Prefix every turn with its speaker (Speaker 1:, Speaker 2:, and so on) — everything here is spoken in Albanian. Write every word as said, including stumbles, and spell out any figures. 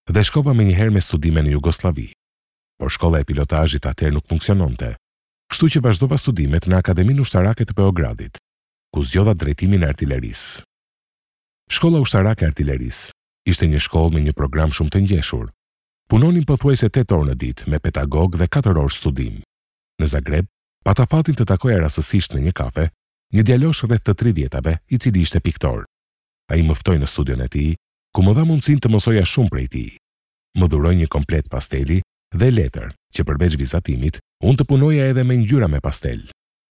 Speaker 1: dhe shkova menjëherë me studime në Jugosllavi. Por shkolla e pilotazhit atëherë nuk funksiononte, kështu që vazhdova studimet në Akademinë Ushtarake të Beogradit, ku zgjodha drejtimin e artilerisë. Shkolla ushtarake e artilerisë ishte një shkollë me një program shumë të ngjeshur. Punonim pothuajse tetë orë në ditë me pedagog dhe katër orë studim. Në Zagreb, pata fatin të takoja rastësisht në një kafe një djalosh rreth të tridhjetave, i cili ishte piktor. Ai më ftoi në studion e tij, ku më dha mundësinë të mësoja shumë prej tij. Më dhuroi një komplet pasteli dhe letër, që përveç vizatimit, unë të punoja edhe me ngjyra me pastel.